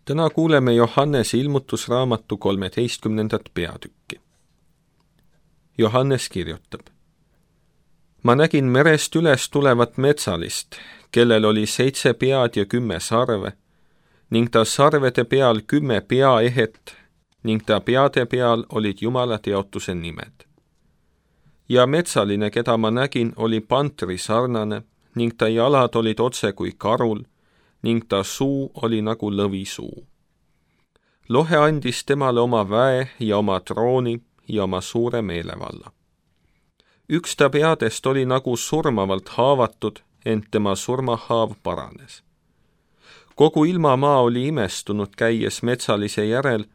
Täna kuuleme Johannese ilmutusraamatu 13. peatükki. Johannes kirjutab: Ma nägin merest üles tulevat metsalist, kellel oli 7 pead ja 10 sarve, ning ta sarvede peal 10 peaehet, ning ta peade peal olid Jumala teotuse nimed. Ja metsaline, keda ma nägin, oli pantri sarnane, ning ta jalad olid otse kui karul, ning ta suu oli nagu lõvisuu. Lohe andis temale oma väe ja oma trooni ja oma suure meelevalla. Üks ta peadest oli nagu surmavalt haavatud, ent tema surmahaav paranes. Kogu ilmamaa oli imestunud käies metsalise järel,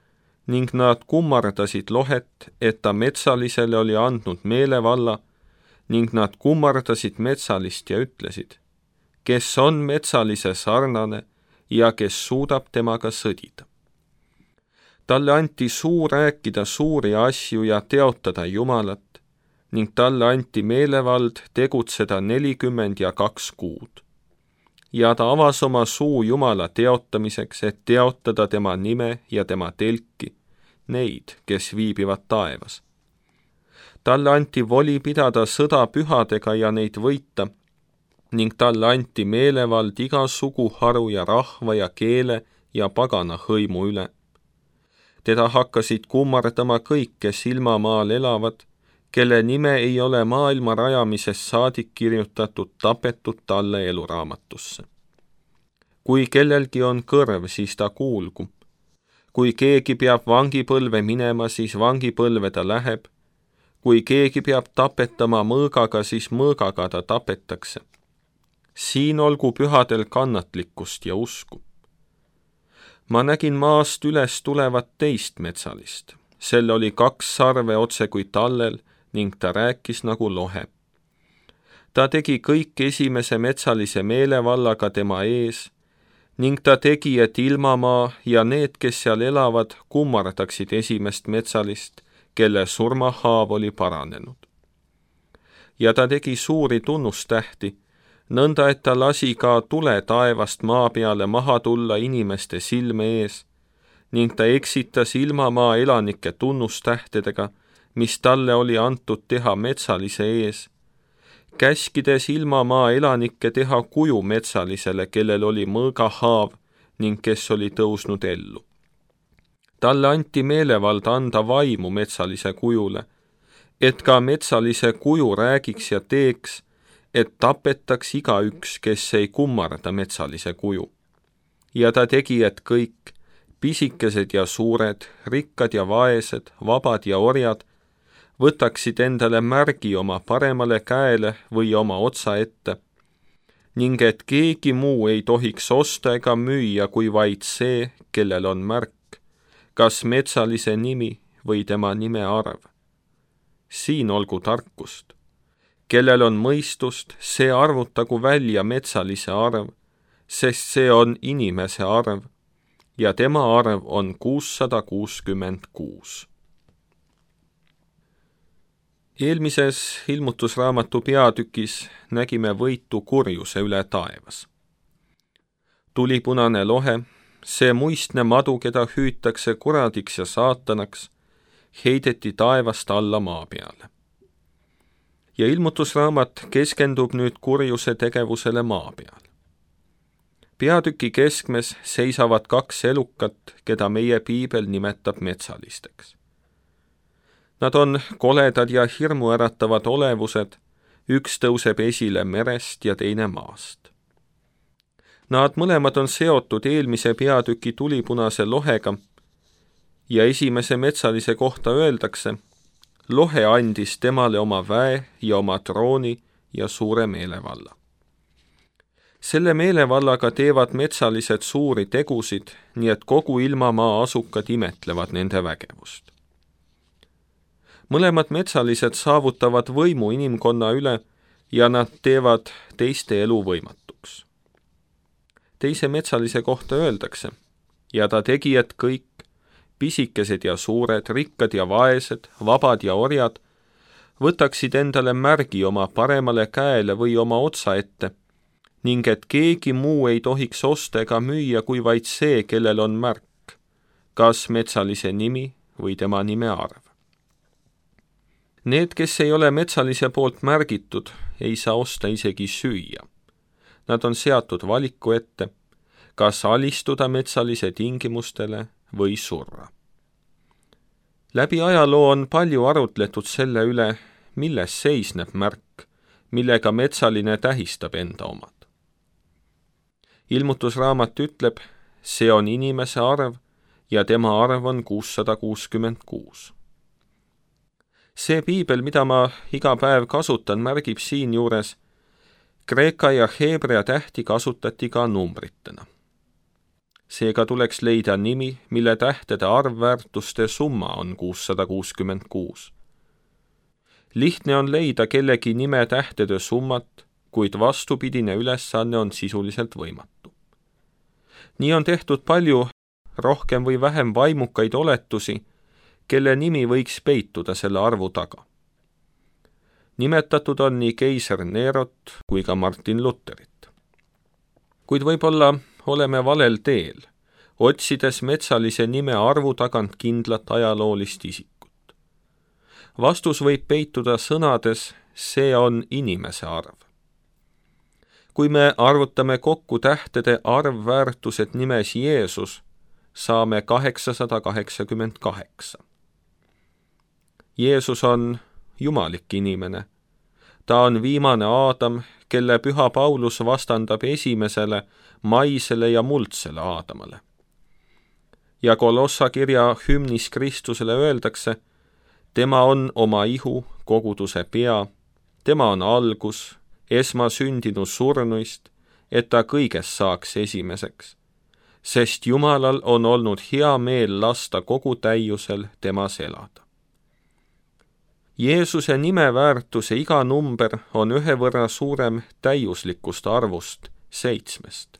ning nad kummardasid lohet, et ta metsalisele oli andnud meelevalla, ning nad kummardasid metsalist ja ütlesid: kes on metsalise sarnane ja kes suudab temaga sõdida. Talle anti suu rääkida suuri asju ja teotada Jumalat, ning talle anti meelevald tegutseda 42 kuud. Ja ta avas oma suu Jumala teotamiseks, et teotada tema nime ja tema telki, neid, kes viibivad taevas. Talle anti voli pidada sõda pühadega ja neid võita, ning talle anti meelevald iga suguharu ja rahva ja keele ja pagana hõimu üle. Teda hakkasid kummardama kõik, kes ilmamaal elavad, kelle nime ei ole maailma rajamisest saadik kirjutatud tapetud talle eluraamatusse. Kui kellelgi on kõrv, siis ta kuulgu. Kui keegi peab vangipõlve minema, siis vangipõlve ta läheb. Kui keegi peab tapetama mõõgaga, siis mõõgaga ta tapetakse. Siin olgu pühadel kannatlikkust ja usku. Ma nägin maast üles tulevat teist metsalist. Sel oli 2 sarve otse kui tallel, ning ta rääkis nagu lohe. Ta tegi kõik esimese metsalise meelevallaga tema ees, ning ta tegi, et ilmamaa ja need, kes seal elavad, kummardaksid esimest metsalist, kelle surmahaav oli paranenud. Ja ta tegi suuri tunnustähti, nõnda, et ta lasi ka tule taevast maa peale maha tulla inimeste silme ees, ning ta eksitas ilmamaa elanike tunnustähtedega, mis talle oli antud teha metsalise ees, käskides ilmamaa elanikke teha kuju metsalisele, kellel oli mõõgahaav ning kes oli tõusnud ellu. Talle anti meelevald anda vaimu metsalise kujule, et ka metsalise kuju räägiks ja teeks, et tapetaks igaüks, kes ei kummarda metsalise kuju. Ja ta tegi, et kõik, pisikesed ja suured, rikkad ja vaesed, vabad ja orjad, võtaksid endale märgi oma paremale käele või oma otsa ette, ning et keegi muu ei tohiks osta ega müüa kui vaid see, kellel on märk, kas metsalise nimi või tema nime arv. Siin olgu tarkust. Kellel on mõistust, see arvutagu välja metsalise arv, sest see on inimese arv, ja tema arv on 666. Eelmises ilmutusraamatu peatükis nägime võitu kurjuse üle taevas. Tulipunane lohe, see muistne madu, keda hüütakse kuradiks ja saatanaks, heideti taevast alla maa peale. Ja ilmutusraamat keskendub nüüd kurjuse tegevusele maa peal. Peatüki keskmes seisavad 2 elukat, keda meie piibel nimetab metsalisteks. Nad on koledad ja hirmuäratavad olevused, üks tõuseb esile merest ja teine maast. Nad mõlemad on seotud eelmise peatüki tulipunase lohega ja esimese metsalise kohta öeldakse: lohe andis temale oma väe ja oma trooni ja suure meelevalla. Selle meelevallaga teevad metsalised suuri tegusid, nii et kogu ilmamaa asukad imetlevad nende vägevust. Mõlemad metsalised saavutavad võimu inimkonna üle ja nad teevad teiste elu võimatuks. Teise metsalise kohta öeldakse: ja ta tegi, et kõik, pisikesed ja suured, rikkad ja vaesed, vabad ja orjad, võtaksid endale märgi oma paremale käele või oma otsa ette, ning et keegi muu ei tohiks osta ega müüa kui vaid see, kellel on märk, kas metsalise nimi või tema nime arv. Need, kes ei ole metsalise poolt märgitud, ei saa osta isegi süüa. Nad on seatud valiku ette, kas alistuda metsalise tingimustele või surra. Läbi ajaloo on palju arutletud selle üle, milles seisneb märk, millega metsaline tähistab enda omad. Ilmutusraamat ütleb, see on inimese arv ja tema arv on 666. See piibel, mida ma iga päev kasutan, märgib siinjuures, kreeka ja heebrea tähti kasutati ka numbritena. Seega tuleks leida nimi, mille tähtede arvväärtuste summa on 666. Lihtne on leida kellegi nime tähtede summat, kuid vastupidine ülesanne on sisuliselt võimatu. Nii on tehtud palju rohkem või vähem vaimukaid oletusi, kelle nimi võiks peituda selle arvu taga. Nimetatud on nii keiser Nerot kui ka Martin Lutherit. Kuid võib-olla oleme valel teel, otsides metsalise nime arvu tagant kindlat ajaloolist isikut. Vastus võib peituda sõnades, see on inimese arv. Kui me arvutame kokku tähtede arvväärtused nimes Jeesus, saame 888. Jeesus on jumalik inimene. Ta on viimane Aadam, kelle püha Paulus vastandab esimesele, maisele ja muldsele Aadamale. Ja Kolossa kirja hümnis Kristusele öeldakse, tema on oma ihu, koguduse pea, tema on algus, esmasündinu surnuist, et ta kõigest saaks esimeseks, sest Jumalal on olnud hea meel lasta kogu täiusel temas elada. Jeesuse nime väärtuse iga number on ühe võrra suurem täiuslikust arvust 7.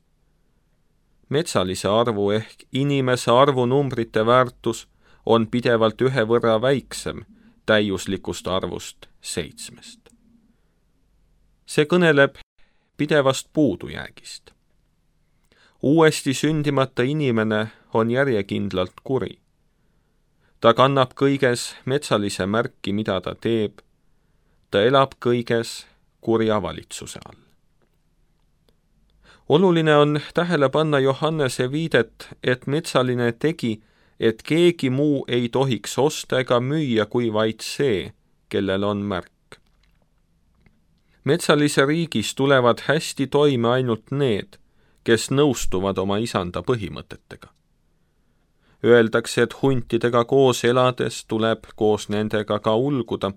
Metsalise arvu ehk inimese arvu numbrite väärtus on pidevalt ühe võrra väiksem täiuslikust arvust 7. See kõneleb pidevast puudujäägist. Uuesti sündimata inimene on järjekindlalt kuri. Ta kannab kõiges metsalise märki, mida ta teeb. Ta elab kõiges kurja valitsuse all. Oluline on tähele panna Johannese viidet, et metsaline tegi, et keegi muu ei tohiks osta ega müüa kui vaid see, kellel on märk. Metsalise riigis tulevad hästi toime ainult need, kes nõustuvad oma isanda põhimõtetega. Öeldakse, et huntidega koos elades tuleb koos nendega ka ulguda.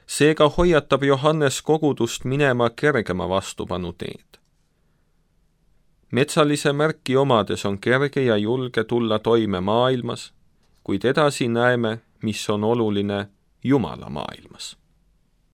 Seega hoiatab Johannes kogudust minema kergema vastupanu teed. Metsalise märki omades on kerge ja julge tulla toime maailmas, kuid edasi näeme, mis on oluline Jumala maailmas.